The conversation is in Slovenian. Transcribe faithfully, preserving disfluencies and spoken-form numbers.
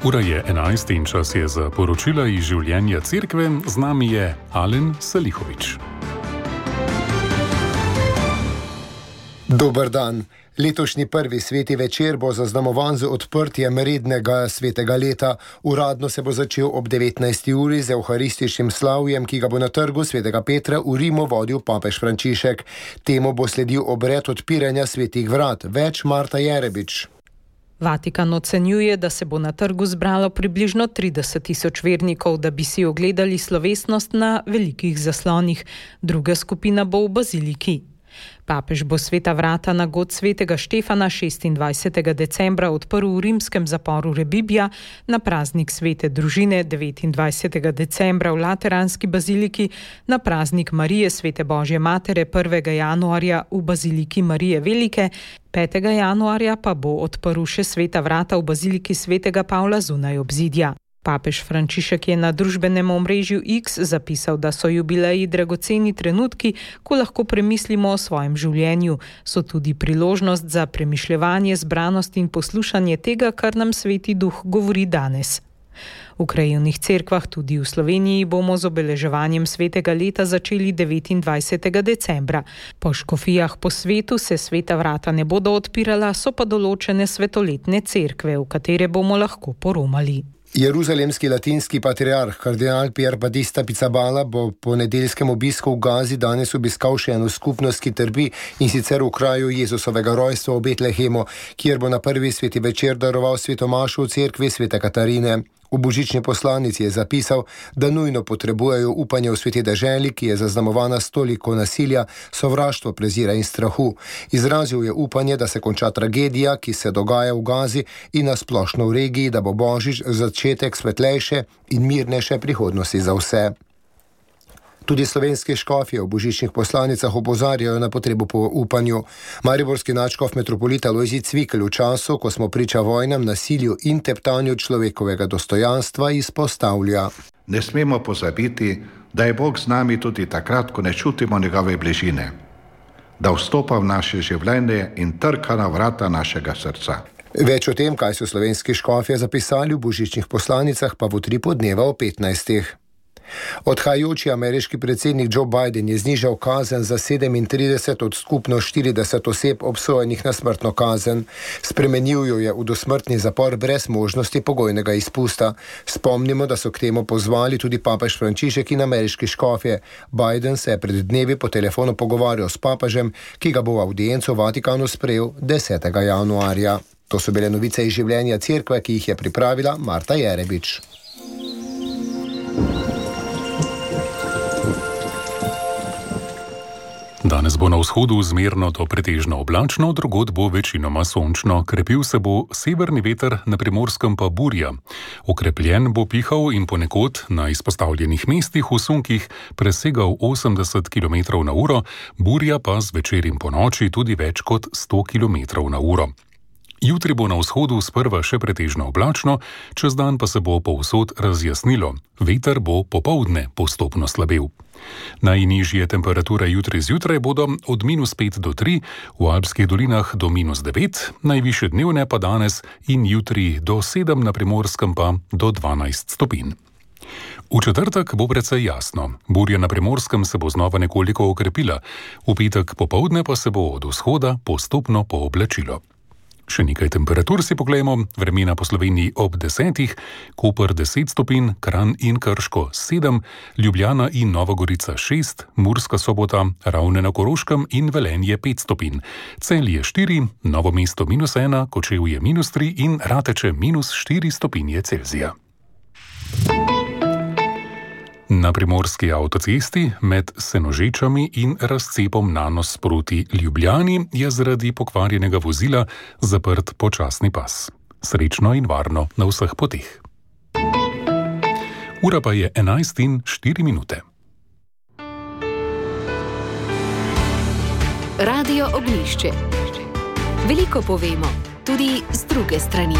Ura je enajst in čas je za poročila iz življenja cerkve. Z nami je Alen Salihovič. Dober dan. Letošnji prvi sveti večer bo zaznamovan z odprtjem rednega svetega leta. Uradno se bo začel ob devetnajsti uri z evharističnim slavjem, ki ga bo na trgu svetega Petra v Rimu vodil papež Frančišek. Temu bo sledil obred odpiranja svetih vrat. Več Marta Jerebič. Vatikan ocenjuje, da se bo na trgu zbralo približno trideset tisoč vernikov, da bi si ogledali slovesnost na velikih zaslonih. Druga skupina bo v baziliki. Papež bo sveta vrata na god svetega Štefana šestindvajsetega decembra odprl v rimskem zaporu Rebibbia, na praznik svete družine devetindvajsetega decembra v Lateranski baziliki, na praznik Marije svete Božje matere prvega januarja v baziliki Marije Velike, petega januarja pa bo odprl še sveta vrata v baziliki svetega Pavla zunaj obzidja. Papež Frančišek je na družbenem omrežju X zapisal, da so jubileji dragoceni trenutki, ko lahko premislimo o svojem življenju. So tudi priložnost za premišljevanje, zbranost in poslušanje tega, kar nam Sveti Duh govori danes. V krajevnih cerkvah, tudi v Sloveniji, bomo z obeleževanjem svetega leta začeli devetindvajsetega decembra. Po škofijah po svetu se sveta vrata ne bodo odpirala, so pa določene svetoletne cerkve, v katere bomo lahko poromali. Jeruzalemski latinski patriarh kardinal Pier Battista Pizzaballa bo po nedeljskem obisku v Gazi danes obiskal še eno skupnost, ki trpi, in sicer v kraju Jezusovega rojstva v Betlehemu, kjer bo na prvi sveti večer daroval svetomašo v cerkvi svete Katarine. V božični poslanici je zapisal, da nujno potrebujejo upanje v sveti deželi, ki je zaznamovana s toliko nasilja, sovraštva, prezira in strahu. Izrazil je upanje, da se konča tragedija, ki se dogaja v Gazi in na splošno v regiji, da bo božič začetek svetlejše in mirnejše prihodnosti za vse. Tudi slovenski škofje v božičnih poslanicah opozarjajo na potrebo po upanju. Mariborski nadškof metropolita Lojzij Cvikl v času, ko smo priča vojnam, nasilju in teptanju človekovega dostojanstva, izpostavlja. Ne smemo pozabiti, da je Bog z nami tudi takrat, ko ne čutimo njegove bližine, da vstopa v naše življenje in trka na vrata našega srca. Več o tem, kaj so slovenski škofje zapisali v božičnih poslanicah, pa v utripu dneva o petnajstih. Odhajajoči ameriški predsednik Joe Biden je znižal kazen za sedemintrideset od skupno štirideset oseb obsojenih na smrtno kazen. Spremenil jo je v dosmrtni zapor brez možnosti pogojnega izpusta. Spomnimo, da so k temu pozvali tudi papež Frančišek in ameriški škofje. Biden se je pred dnevi po telefonu pogovarjal s papežem, ki ga bo v avdienco v Vatikanu sprejel desetega januarja. To so bile novice iz življenja cerkve, ki jih je pripravila Marta Jerebič. Danes bo na vzhodu zmerno do pretežno oblačno, drugod bo večinoma sončno. Krepil se bo severni veter, na Primorskem pa burja. Okrepljen bo pihal in ponekod na izpostavljenih mestih v sunkih presegal osemdeset kilometrov na uro, burja pa zvečer in ponoči tudi več kot sto kilometrov na uro. Jutri bo na vzhodu sprva še pretežno oblačno, čez dan pa se bo povsod razjasnilo. Veter bo popoldne postopno slabel. Najnižje temperature jutri zjutraj bodo od minus pet do tri, v alpskih dolinah do minus devet, najvišje dnevne pa danes in jutri do sedem, na Primorskem pa do dvanajst stopinj. V četrtek bo precej jasno. Burja na Primorskem se bo znova nekoliko okrepila, v petek popoldne pa se bo od vzhoda postopno pooblačilo. Še nekaj temperatur si poglejmo. Vremena po Sloveniji ob desetih, Koper deset stopinj, Kranj in Krško sedem, Ljubljana in Nova Gorica šest, Murska Sobota, Ravne na Koroškem in Velenje pet stopinj, Celje štiri, Novo mesto minus ena, Kočevje minus tri in Rateče minus štiri stopinje Celzija. Na primorski avtocesti med Senožečami in razcepom Nanos proti Ljubljani je zaradi pokvarjenega vozila zaprt počasni pas. Srečno in varno na vseh poteh. Ura pa je enajst in štiri minute. Radio Ognjišče. Veliko povemo, tudi z druge strani.